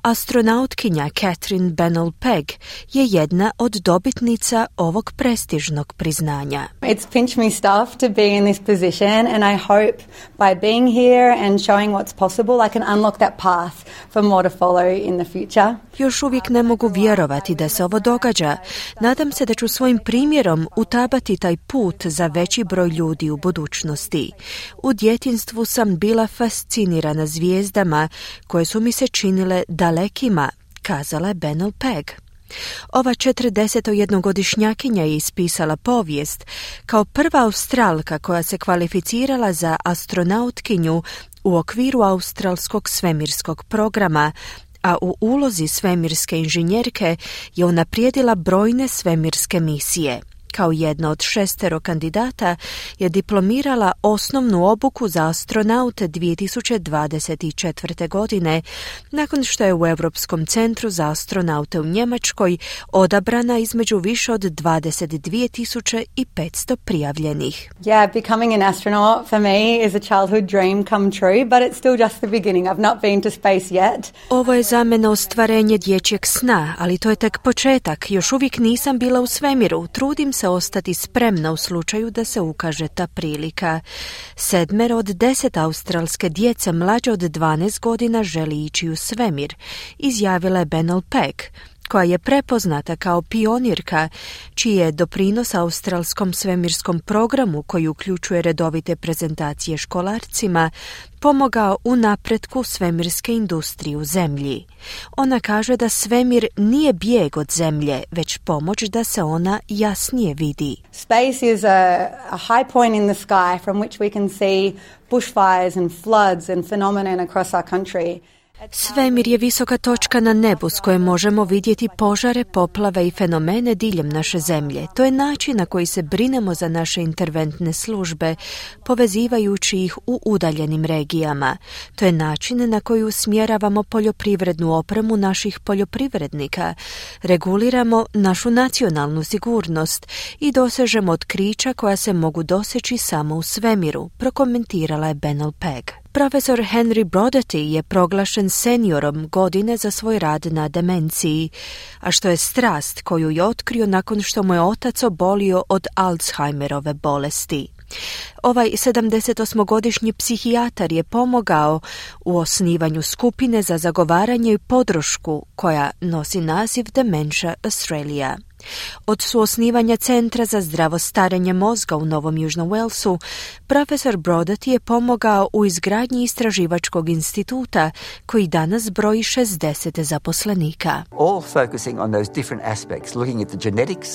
Astronautkinja Catherine Bennell-Pegg je jedna od dobitnica ovog prestižnog priznanja. It's pinched me stuff to be in this position, and I hope by being here and showing what's possible I can unlock that path for more to follow in the future. Još uvijek ne mogu vjerovati da se ovo događa. Nadam se da ću svojim primjerom utabati taj put za veći broj ljudi u budućnosti. U djetinjstvu sam bila fascinirana zvijezdama koje su mi se činile dalekima, kazala je Bennell-Pegg. Ova 41-godišnjakinja je ispisala povijest kao prva Australka koja se kvalificirala za astronautkinju u okviru australskog svemirskog programa, a u ulozi svemirske inženjerke je unaprijedila brojne svemirske misije. Kao jedna od 6 kandidata je diplomirala osnovnu obuku za astronaute 2024. godine, nakon što je u Europskom centru za astronaute u Njemačkoj odabrana između više od 22.500 prijavljenih. Yeah, becoming an astronaut for me is a childhood dream come true, but it's still just the beginning. I've not been to space yet. Ovo je za mene ostvarenje dječjeg sna, ali to je tek početak. Još uvijek nisam bila u svemiru. Trudim se ostati spremna u slučaju da se ukaže ta prilika. 7 od 10 australske djece mlađe od 12 godina želi ići u svemir, izjavila je Bennell-Pegg, koja je prepoznata kao pionirka, čiji je doprinos australskom svemirskom programu, koji uključuje redovite prezentacije školarcima, pomogao u napretku svemirske industrije u zemlji. Ona kaže da svemir nije bijeg od zemlje, već pomoć da se ona jasnije vidi. Space is a high point in the sky from which we can see bushfires and floods and phenomena across our country. Svemir je visoka točka na nebu s koje možemo vidjeti požare, poplave i fenomene diljem naše zemlje. To je način na koji se brinemo za naše interventne službe, povezivajući ih u udaljenim regijama. To je način na koji usmjeravamo poljoprivrednu opremu naših poljoprivrednika, reguliramo našu nacionalnu sigurnost i dosežemo otkrića koja se mogu doseći samo u svemiru, prokomentirala je Bennell-Pegg. Profesor Henry Brodaty je proglašen seniorom godine za svoj rad na demenciji, a što je strast koju je otkrio nakon što mu je otac obolio od Alzheimerove bolesti. Ovaj 78-godišnji psihijatar je pomogao u osnivanju skupine za zagovaranje i podršku koja nosi naziv Dementia Australia. Od suosnivanja Centra za zdravo starenje mozga u Novom Južnom Walesu, profesor Brodati je pomogao u izgradnji istraživačkog instituta koji danas broji 60 zaposlenika. All focusing on those different aspects, looking at the genetics,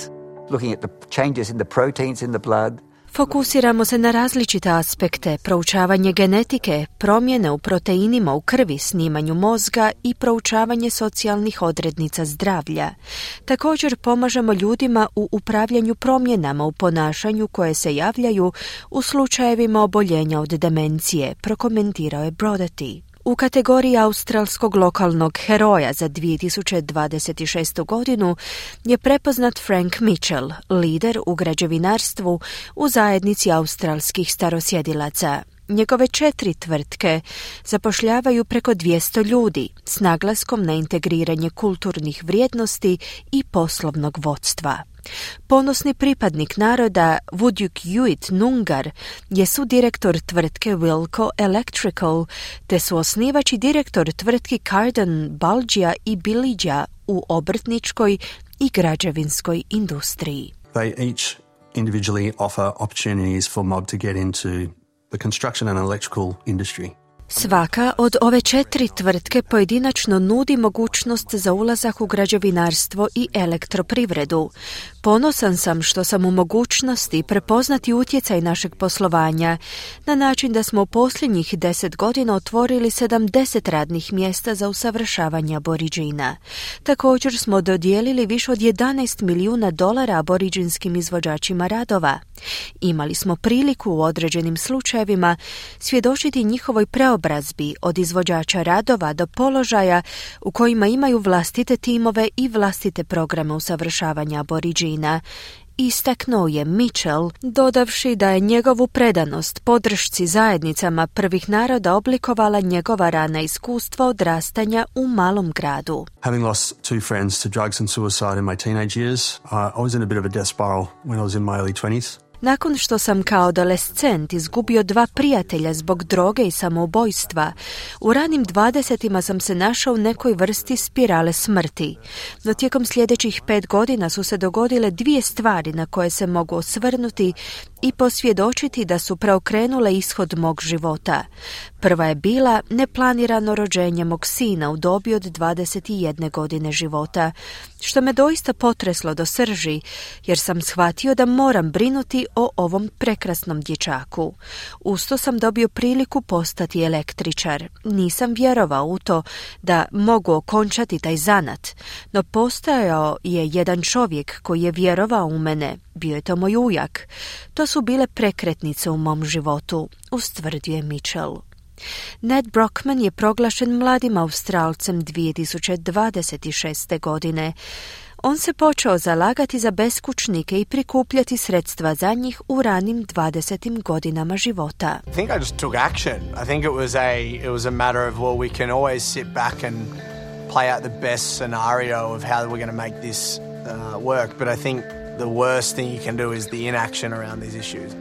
looking at the changes in the proteins in the blood. Fokusiramo se na različite aspekte, proučavanje genetike, promjene u proteinima u krvi, snimanju mozga i proučavanje socijalnih odrednica zdravlja. Također pomažemo ljudima u upravljanju promjenama u ponašanju koje se javljaju u slučajevima oboljenja od demencije, prokomentirao je Brodati. U kategoriji australskog lokalnog heroja za 2026. godinu je prepoznat Frank Mitchell, lider u građevinarstvu u zajednici australskih starosjedilaca. Njegove 4 tvrtke zapošljavaju preko 200 ljudi s naglaskom na integriranje kulturnih vrijednosti i poslovnog vodstva. Ponosni pripadnik naroda Wudjuk Yuit Nungar je sudirektor tvrtke Wilco Electrical te su osnivač i direktor tvrtki Carden, Balgia i Bilidja u obrtničkoj i građevinskoj industriji. They each individually offer opportunities for mob to get into the construction and electrical industry. Svaka od ove 4 tvrtke pojedinačno nudi mogućnost za ulazak u građevinarstvo i elektroprivredu. Ponosan sam što sam u mogućnosti prepoznati utjecaj našeg poslovanja na način da smo u posljednjih 10 godina otvorili 70 radnih mjesta za usavršavanje aboriđina. Također smo dodijelili više od $11 milijuna aboriđinskim izvođačima radova. Imali smo priliku u određenim slučajevima svjedočiti njihovoj preobrazbi od izvođača radova do položaja u kojima imaju vlastite timove i vlastite programe usavršavanja aboriđina. Istaknuo je Mitchell, dodavši da je njegovu predanost podršci zajednicama prvih naroda oblikovala njegova rana iskustva odrastanja u malom gradu. Having lost 2 friends to drugs and suicide in my teenage years, I was in a bit of a death spiral when I was in my early 20s. Nakon što sam kao adolescent izgubio 2 prijatelja zbog droge i samoubojstva, u ranim 20-ima sam se našao u nekoj vrsti spirale smrti. No tijekom sljedećih 5 godina su se dogodile 2 stvari na koje se mogu osvrnuti i posvjedočiti da su preokrenule ishod mog života. Prva je bila neplanirano rođenje mog sina u dobi od 21 godine života, što me doista potreslo do srži, jer sam shvatio da moram brinuti o ovom prekrasnom dječaku. Usto sam dobio priliku postati električar. Nisam vjerovao u to da mogu okončati taj zanat, no postojao je jedan čovjek koji je vjerovao u mene. Bio je to moj ujak. To su bile prekretnice u mom životu, ustvrdio je Mitchell. Ned Brockman je proglašen mladim Australcem 2026. godine. On se počeo zalagati za beskućnike i prikupljati sredstva za njih u ranim 20. godinama života. I think I just took action. I think it was a matter of, well, we can always sit back and play out the best scenario of how we're going to make this work, but I think the worst thing you can do is the inaction around these issues.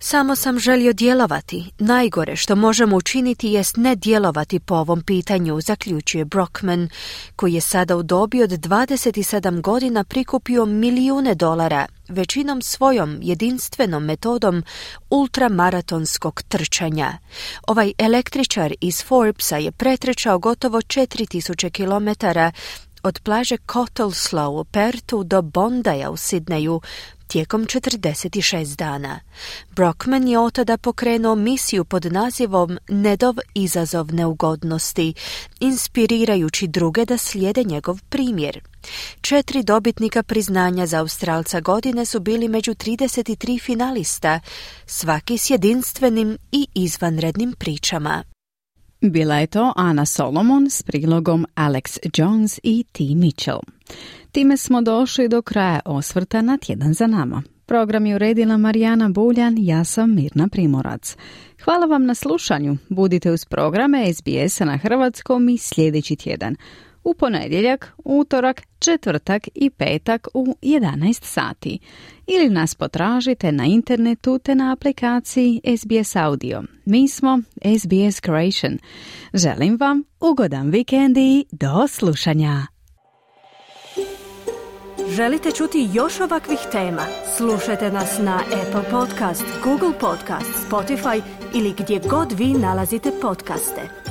Samo sam želio djelovati. Najgore što možemo učiniti jest ne djelovati po ovom pitanju, zaključuje Brockman, koji je sada u dobi od 27 godina prikupio milijune dolara, većinom svojom jedinstvenom metodom ultramaratonskog trčanja. Ovaj električar iz Forbesa je pretrčao gotovo 4000 kilometara od plaže Cottesloe u Pertu do Bondaja u Sidneju tijekom 46 dana. Brockman je od tada pokrenuo misiju pod nazivom Nedov izazov neugodnosti, inspirirajući druge da slijede njegov primjer. 4 dobitnika priznanja za Australca godine su bili među 33 finalista, svaki s jedinstvenim i izvanrednim pričama. Bila je to Ana Solomon s prilogom Alex Jones i T. Mitchell. Time smo došli do kraja osvrta na tjedan za nama. Program je uredila Marijana Buljan, ja sam Mirna Primorac. Hvala vam na slušanju. Budite uz programe SBS-a na hrvatskom i sljedeći tjedan. u ponedjeljak, utorak, četvrtak i petak u 11 sati. Ili nas potražite na internetu te na aplikaciji SBS Audio. Mi smo SBS Creation. Želim vam ugodan vikend i do slušanja. Želite čuti još ovakvih tema? Slušajte nas na Apple Podcast, Google Podcast, Spotify ili gdje god vi nalazite podcaste.